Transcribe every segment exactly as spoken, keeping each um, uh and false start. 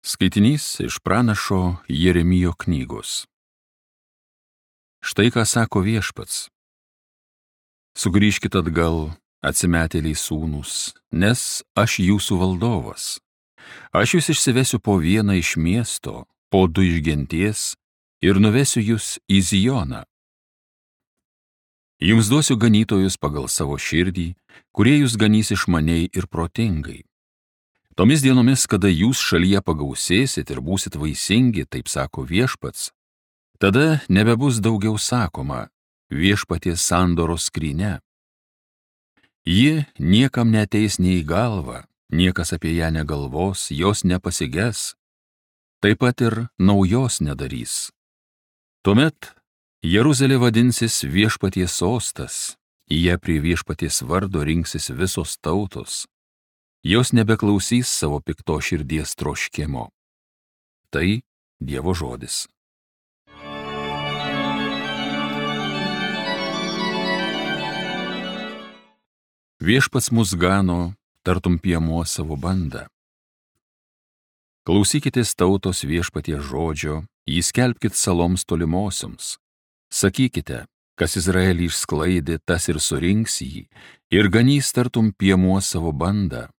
Skaitinys iš pranašo Jeremijo knygos. Štai ką sako Viešpats. Sugrįžkit atgal, atsimetėliai sūnūs, nes aš jūsų valdovas. Aš jūs išsivesiu po vieną iš miesto, po du iš genties ir nuvesiu jūs į Zioną. Jums duosiu ganytojus pagal savo širdį, kurie jūs ganys išmaniai ir protingai. Tomis dienomis, kada jūs šalyje pagausėsit ir būsit vaisingi, taip sako Viešpats, tada nebebus daugiau sakoma Viešpaties sandoros skrynia. Ji niekam neateis nei į galvą, niekas apie ją negalvos, jos nepasiges, taip pat ir naujos nedarys. Tuomet Jeruzalė vadinsis Viešpaties sostas, į ją prie Viešpaties vardo rinksis visos tautos. Jos nebeklausys savo pikto širdies troškimo. Tai Dievo žodis. Viešpats mus gano, tartum piemuo savo bandą. Klausykitės tautos Viešpaties žodžio, jį skelbkit saloms tolimosioms. Sakykite, kas Izraelį išsklaidė, tas ir surinks jį, ir ganys tartum piemuo savo bandą.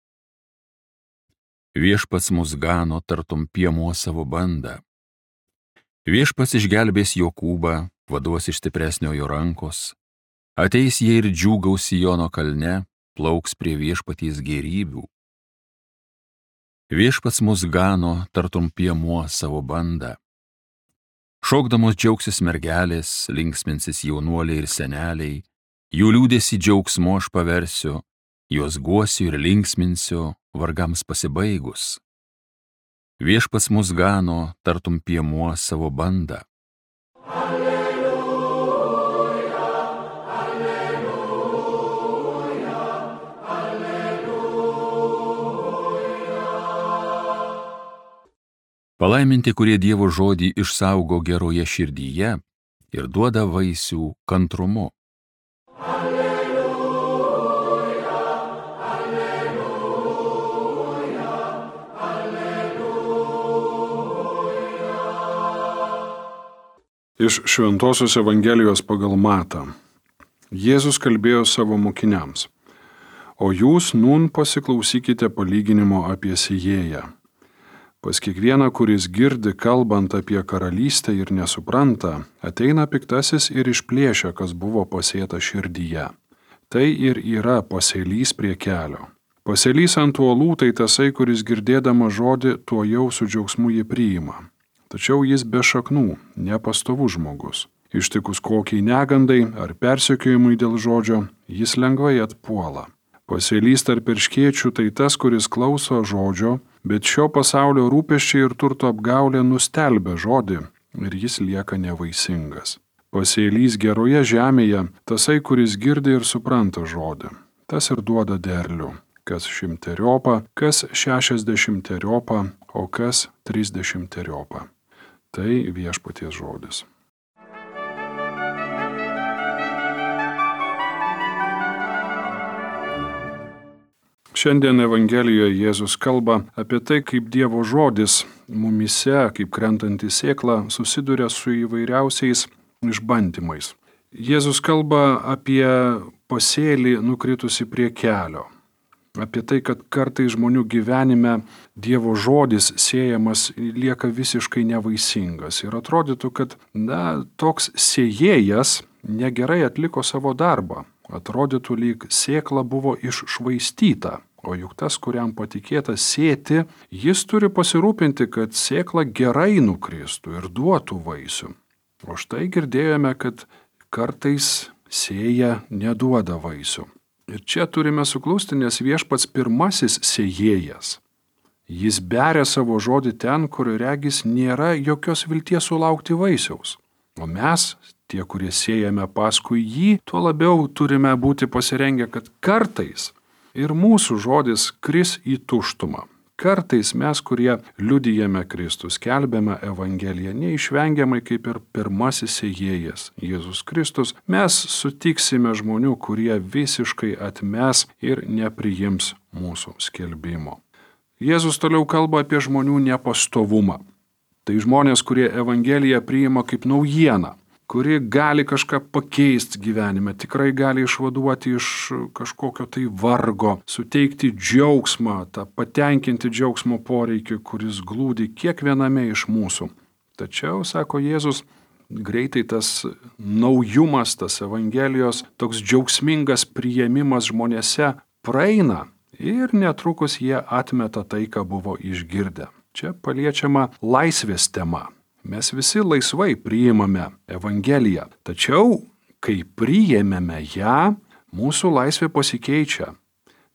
Viešpats mus gano, tartum piemuo savo bandą. Viešpats išgelbės Jokūbą, vaduos iš stipresniojo rankos. Ateis jie ir džiūgaus Siono kalne, plauks prie Viešpaties gėrybių. Viešpats mus gano, tartum piemuo savo bandą. Šokdamos džiaugsis mergelės, linksminsis jaunuoliai ir seneliai, jų liūdesį džiaugsmu aš paversiu, juos guosiu ir linksminsiu, vargams pasibaigus. Viešpats mus gano, tartum piemuo savo bandą. Alleluja, alleluja, alleluja. Palaiminti, kurie Dievo žodį išsaugo geroje širdyje ir duoda vaisių kantrumu. Iš Šventosios Evangelijos pagal Matą. Jėzus kalbėjo savo mokiniams: O jūs nūn pasiklausykite palyginimo apie sėjėją. Pas kiekvieną, kuris girdi kalbant apie karalystę ir nesupranta, ateina piktasis ir išplėšia, kas buvo pasėta širdyje. Tai ir yra pasėlys prie kelio. Pasėlys ant uolų tai tasai, kuris girdėdama žodį, tuo jau su džiaugsmu jį priima. Tačiau jis be šaknų, nepastovus žmogus. Ištikus kokiai negandai ar persekiojimui dėl žodžio, jis lengvai atpuola. Pasėlys tarp erškėčių tai tas, kuris klauso žodžio, bet šio pasaulio rūpesčiai ir turto apgaulė nustelbia žodį ir jis lieka nevaisingas. Pasėlys geroje žemėje tasai, kuris girdi ir supranta žodį. Tas ir duoda derlių, kas šimteriopą, kas šešiasdešimteriopą, o kas trisdešimteriopą. Tai Viešpaties žodis. Šiandien Evangelijoje Jėzus kalba apie tai, kaip Dievo žodis mumyse, kaip krentanti sėkla, susiduria su įvairiausiais išbandymais. Jėzus kalba apie pasėlį nukritusi prie kelio. Apie tai, kad kartais žmonių gyvenime Dievo žodis sėjamas lieka visiškai nevaisingas. Ir atrodytų, kad na, toks sėjėjas negerai atliko savo darbą. Atrodytų, lyg sėkla buvo iššvaistyta. O juk tas, kuriam patikėta sėti, jis turi pasirūpinti, kad sėkla gerai nukristų ir duotų vaisių. O štai girdėjome, kad kartais sėja neduoda vaisių. Ir čia turime suklusti, nes Viešpats pirmasis sėjėjas. Jis beria savo žodį ten, kur regis nėra jokios vilties sulaukti vaisiaus. O mes, tie, kurie sėjame paskui jį, tuo labiau turime būti pasirengę, kad kartais ir mūsų žodis kris į tuštumą. Kartais mes, kurie liudijame Kristų, skelbiame Evangeliją, neišvengiamai kaip ir pirmasis sėjėjas, Jėzus Kristus, mes sutiksime žmonių, kurie visiškai atmes ir nepriims mūsų skelbimo. Jėzus toliau kalba apie žmonių nepastovumą. Tai žmonės, kurie Evangeliją priima kaip naujieną, kuri gali kažką pakeisti gyvenime, tikrai gali išvaduoti iš kažkokio tai vargo, suteikti džiaugsmą, tą patenkinti džiaugsmo poreikį, kuris glūdi kiekviename iš mūsų. Tačiau, sako Jėzus, greitai tas naujumas, tas Evangelijos, toks džiaugsmingas priėmimas žmonėse praeina ir netrukus jie atmeta tai, ką buvo išgirdę. Čia paliečiama laisvės tema. Mes visi laisvai priimame Evangeliją, tačiau, kai priėmėme ją, mūsų laisvė pasikeičia.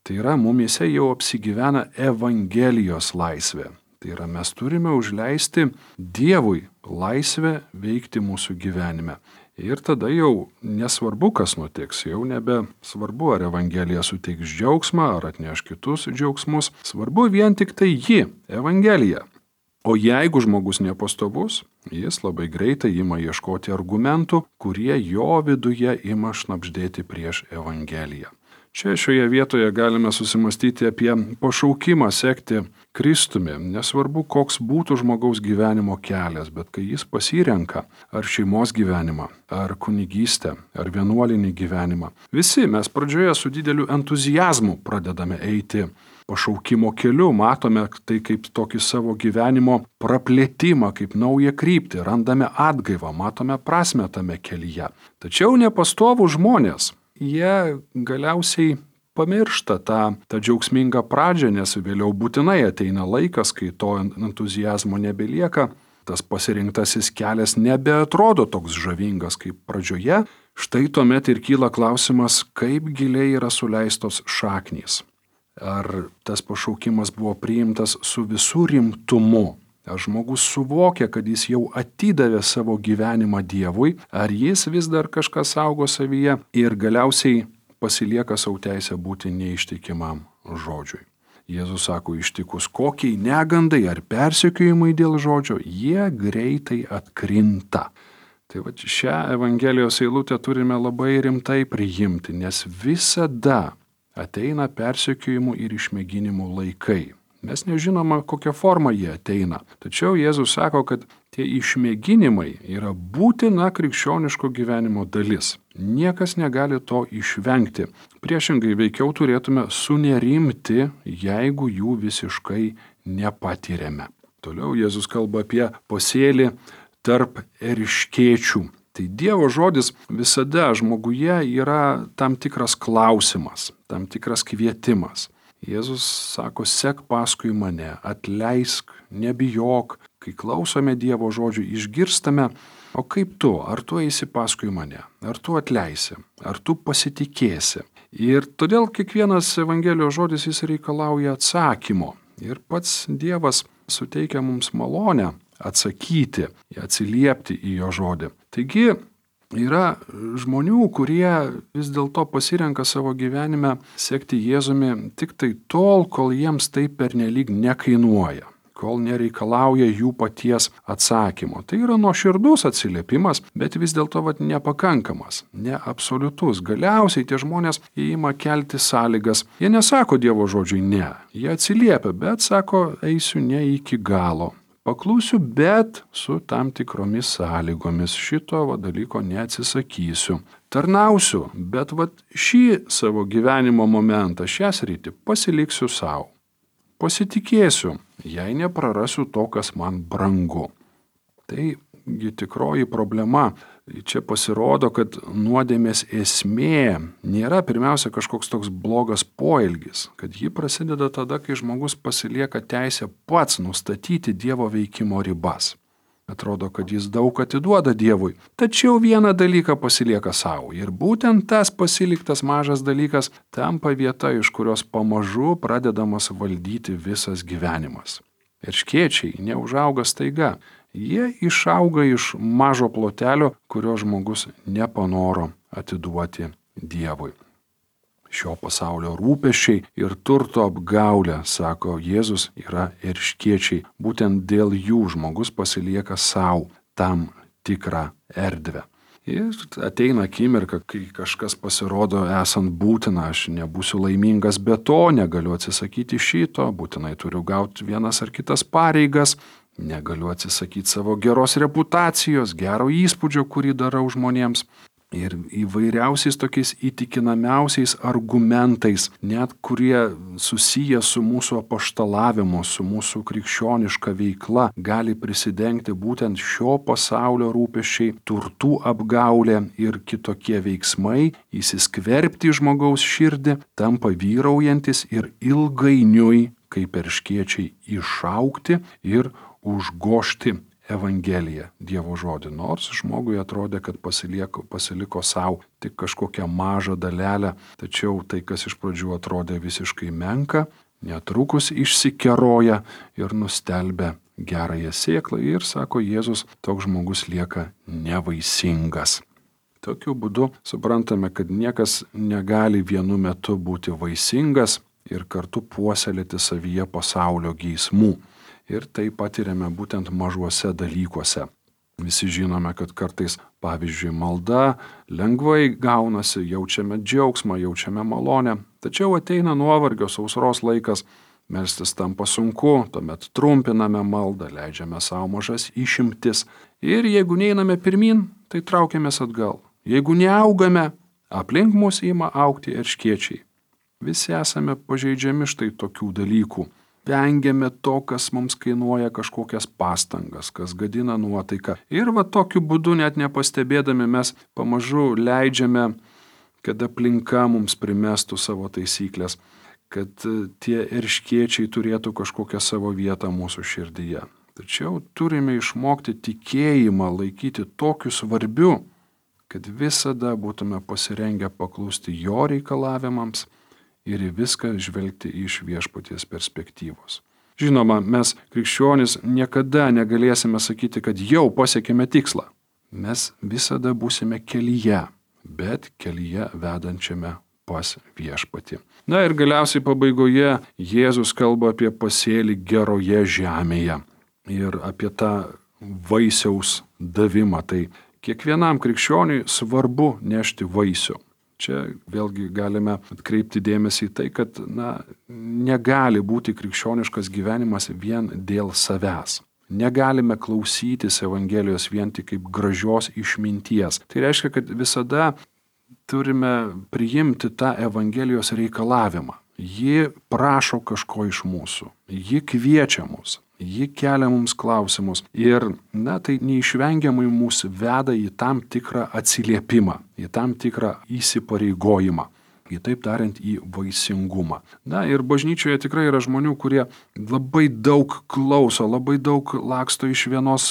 Tai yra, mumise jau apsigyvena Evangelijos laisvė. Tai yra, mes turime užleisti Dievui laisvę veikti mūsų gyvenime. Ir tada jau nesvarbu, kas nutiks, jau nebe svarbu, ar Evangelija suteiks džiaugsmą, ar atneš kitus džiaugsmus. Svarbu vien tik tai ji, Evangelija. O jeigu žmogus nepastovus, jis labai greitai ima ieškoti argumentų, kurie jo viduje ima šnabždėti prieš Evangeliją. Čia šioje vietoje galime susimastyti apie pašaukimą sekti Kristumi. Nesvarbu, koks būtų žmogaus gyvenimo kelias, bet kai jis pasirenka ar šeimos gyvenimą, ar kunigystę, ar vienuolinį gyvenimą. Visi mes pradžioje su dideliu entuzijazmu pradedame eiti pašaukimo keliu, matome tai kaip tokį savo gyvenimo praplėtimą, kaip naują kryptį, randame atgaivą, matome prasmę tame kelyje. Tačiau nepastovų žmonės, jie galiausiai pamiršta tą, tą džiaugsmingą pradžią, nes vėliau būtinai ateina laikas, kai to entuzijazmo nebelieka, tas pasirinktasis kelias nebeatrodo toks žavingas kaip pradžioje, štai tuomet ir kyla klausimas, kaip giliai yra suleistos šaknys. Ar tas pašaukimas buvo priimtas su visų rimtumu? Ar žmogus suvokia, kad jis jau atidavė savo gyvenimą Dievui, ar jis vis dar kažką saugo savyje ir galiausiai pasilieka savo teisę būti neištikimam žodžiui. Jėzus sako, ištikus kokiai negandai ar persekiojimai dėl žodžio, jie greitai atkrinta. Tai va šią Evangelijos eilutę turime labai rimtai priimti, nes visada ateina persekiojimų ir išmėginimų laikai. Mes nežinome, kokią formą jie ateina. Tačiau Jėzus sako, kad tie išmėginimai yra būtina krikščioniško gyvenimo dalis. Niekas negali to išvengti. Priešingai veikiau turėtume sunerimti, jeigu jų visiškai nepatiriame. Toliau Jėzus kalba apie pasėlį tarp erškėčių. Tai Dievo žodis visada žmoguje yra tam tikras klausimas, tam tikras kvietimas. Jėzus sako, sek paskui mane, atleisk, nebijok. Kai klausome Dievo žodžių, išgirstame, o kaip tu, ar tu eisi paskui mane, ar tu atleisi, ar tu pasitikėsi. Ir todėl kiekvienas Evangelijos žodis jis reikalauja atsakymo. Ir pats Dievas suteikia mums malonę atsakyti, atsiliepti į jo žodį. Taigi, yra žmonių, kurie vis dėlto pasirenka savo gyvenime sekti Jėzumi tik tai tol, kol jiems tai pernelyg nekainuoja, kol nereikalauja jų paties atsakymo. Tai yra nuoširdus atsiliepimas, bet vis dėlto vat, nepakankamas, neabsoliutus. Galiausiai tie žmonės įima kelti sąlygas. Jie nesako Dievo žodžiui ne, jie atsiliepia, bet sako, eisiu ne iki galo. Paklūsiu, bet su tam tikromis sąlygomis. Šito va, dalyko neatsisakysiu. Tarnausiu, bet va, šį savo gyvenimo momentą, šią sritį pasiliksiu savo. Pasitikėsiu, jei neprarasiu to, kas man brangu. Taigi tikroji problema. Čia pasirodo, kad nuodėmės esmė nėra pirmiausia kažkoks toks blogas poelgis, kad ji prasideda tada, kai žmogus pasilieka teisę pats nustatyti Dievo veikimo ribas. Atrodo, kad jis daug atiduoda Dievui, tačiau vieną dalyką pasilieka savo. Ir būtent tas pasiliktas mažas dalykas tampa vieta, iš kurios pamažu pradedamas valdyti visas gyvenimas. Erškėčiai neužauga staiga. Jie išauga iš mažo plotelio, kurio žmogus nepanoro atiduoti Dievui. Šio pasaulio rūpesčiai ir turto apgaulė, sako Jėzus, yra erškėčiai. Būtent dėl jų žmogus pasilieka savo tam tikrą erdvę. Ir ateina akimirka, kai kažkas pasirodo esant būtina, aš nebūsiu laimingas be to, negaliu atsisakyti šito, būtinai turiu gauti vienas ar kitas pareigas, negaliu atsisakyti savo geros reputacijos, gero įspūdžio, kurį darau žmonėms. Ir įvairiausiais tokiais įtikinamiausiais argumentais, net kurie susiję su mūsų apaštalavimu, su mūsų krikščioniška veikla, gali prisidengti būtent šio pasaulio rūpesčiai, turtų apgaulė ir kitokie veiksmai, įsiskverbti į žmogaus širdį, tampa vyraujantis ir ilgainiui, kaip erškėčiai, išaugti ir užgožti Evangeliją, Dievo žodį, nors žmogui atrodė, kad pasiliko, pasiliko savo tik kažkokią mažą dalelę, tačiau tai, kas iš pradžių atrodė visiškai menka, netrukus išsikeroja ir nustelbia gerąją sėklą ir, sako Jėzus, toks žmogus lieka nevaisingas. Tokiu būdu suprantame, kad niekas negali vienu metu būti vaisingas ir kartu puoselėti savyje pasaulio geismų. Ir tai patiriame būtent mažuose dalykuose. Visi žinome, kad kartais, pavyzdžiui, malda lengvai gaunasi, jaučiame džiaugsmą, jaučiame malonę, tačiau ateina nuovargio, sausros laikas, melstis tampa sunku, tuomet trumpiname maldą, leidžiame savo mažas išimtis ir jeigu neiname pirmin, tai traukiamės atgal. Jeigu neaugame, aplink mus ima augti erškėčiai. Visi esame pažeidžiami štai tokių dalykų. Vengiame to, kas mums kainuoja kažkokias pastangas, kas gadina nuotaiką. Ir va tokiu būdu net nepastebėdami mes pamažu leidžiame, kad aplinka mums primestų savo taisyklės, kad tie erškėčiai turėtų kažkokią savo vietą mūsų širdyje. Tačiau turime išmokti tikėjimą laikyti tokiu svarbiu, kad visada būtume pasirengę paklusti jo reikalavimams ir į viską žvelgti iš viešpaties perspektyvos. Žinoma, mes krikščionys niekada negalėsime sakyti, kad jau pasiekėme tikslą. Mes visada būsime kelyje, bet kelyje vedančiame pas viešpatį. Na ir galiausiai pabaigoje Jėzus kalba apie pasėlį geroje žemėje ir apie tą vaisiaus davimą. Tai kiekvienam krikščioniui svarbu nešti vaisių. Čia vėlgi galime atkreipti dėmesį į tai, kad na, negali būti krikščioniškas gyvenimas vien dėl savęs. Negalime klausytis Evangelijos vien tik kaip gražios išminties. Tai reiškia, kad visada turime priimti tą Evangelijos reikalavimą. Ji prašo kažko iš mūsų. Ji kviečia mus. Ji kelia mums klausimus ir, na, tai neišvengiamai mus veda į tam tikrą atsiliepimą, į tam tikrą įsipareigojimą, kitaip tariant, į vaisingumą. Na ir bažnyčioje tikrai yra žmonių, kurie labai daug klauso, labai daug laksto iš vienos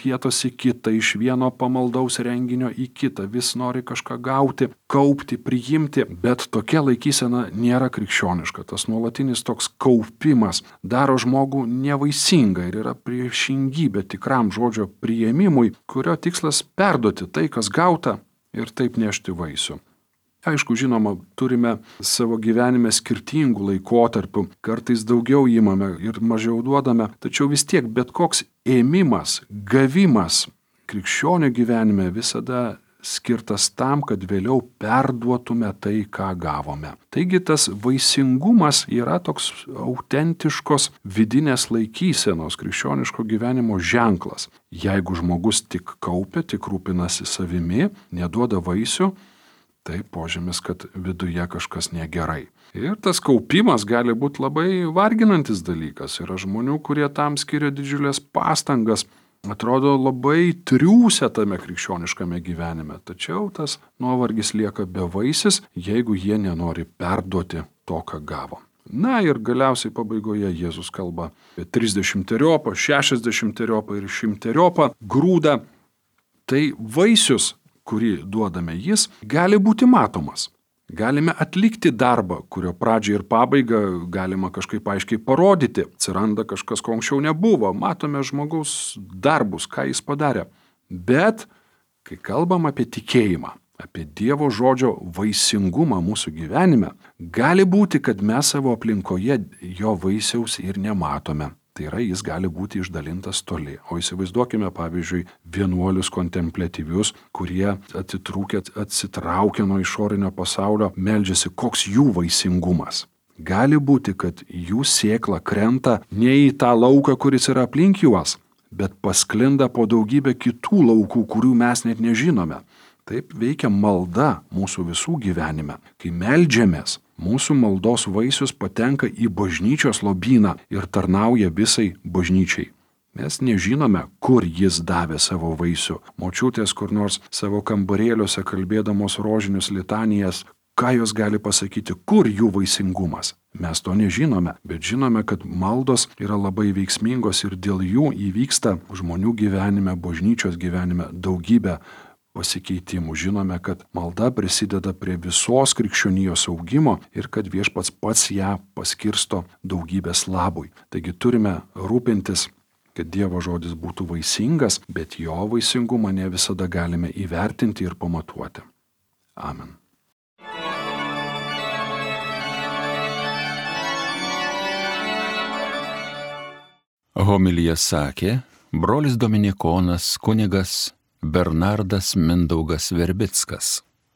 vietos į kitą, iš vieno pamaldaus renginio į kitą, vis nori kažką gauti, kaupti, priimti, bet tokia laikysena nėra krikščioniška. Tas nuolatinis toks kaupimas daro žmogų nevaisingą ir yra priešingybė tikram žodžio priėmimui, kurio tikslas perduoti tai, kas gauta ir taip nešti vaisių. Aišku, žinoma, turime savo gyvenime skirtingų laikotarpių, kartais daugiau įmame ir mažiau duodame, tačiau vis tiek bet koks ėmimas, gavimas krikščionio gyvenime visada skirtas tam, kad vėliau perduotume tai, ką gavome. Taigi tas vaisingumas yra toks autentiškos vidinės laikysenos krikščioniško gyvenimo ženklas. Jeigu žmogus tik kaupia, tik rūpinasi savimi, neduoda vaisių, tai požymis, kad viduje kažkas negerai. Ir tas kaupimas gali būti labai varginantis dalykas. Yra žmonių, kurie tam skiria didžiulės pastangas, atrodo labai triūsia tame krikščioniškame gyvenime. Tačiau tas nuovargis lieka bevaisis, jeigu jie nenori perduoti to, ką gavo. Na ir galiausiai pabaigoje Jėzus kalba apie trisdešimteriopą, šešiasdešimteriopą ir šimteriopą grūdą. Tai vaisius, kurį duodame jis, gali būti matomas. Galime atlikti darbą, kurio pradžią ir pabaigą galima kažkaip aiškiai parodyti. Atsiranda kažkas, ko anksčiau nebuvo. Matome žmogaus darbus, ką jis padarė. Bet, kai kalbam apie tikėjimą, apie Dievo žodžio vaisingumą mūsų gyvenime, gali būti, kad mes savo aplinkoje jo vaisiaus ir nematome. Tai yra, jis gali būti išdalintas toli. O įsivaizduokime, pavyzdžiui, vienuolius kontempliatyvius, kurie atitrūkę, atsitraukia nuo išorinio pasaulio, meldžiasi, koks jų vaisingumas. Gali būti, kad jų sėkla krenta ne į tą lauką, kuris yra aplink juos, bet pasklinda po daugybę kitų laukų, kurių mes net nežinome. Taip veikia malda mūsų visų gyvenime. Kai meldžiamės, mūsų maldos vaisius patenka į bažnyčios lobyną ir tarnauja visai bažnyčiai. Mes nežinome, kur jis davė savo vaisių. Močiutės kur nors savo kambarėliuose kalbėdamos rožinius litanijas, ką jos gali pasakyti, kur jų vaisingumas. Mes to nežinome, bet žinome, kad maldos yra labai veiksmingos ir dėl jų įvyksta žmonių gyvenime, bažnyčios gyvenime daugybė pasikeitimų. Žinome, kad malda prisideda prie visos krikščionijos augimo ir kad Viešpats pats ją paskirsto daugybės labui. Taigi turime rūpintis, kad Dievo žodis būtų vaisingas, bet jo vaisingumą ne visada galime įvertinti ir pamatuoti. Amen. Homiliją sakė brolis dominikonas kunigas Bernardas Mindaugas Verbickas.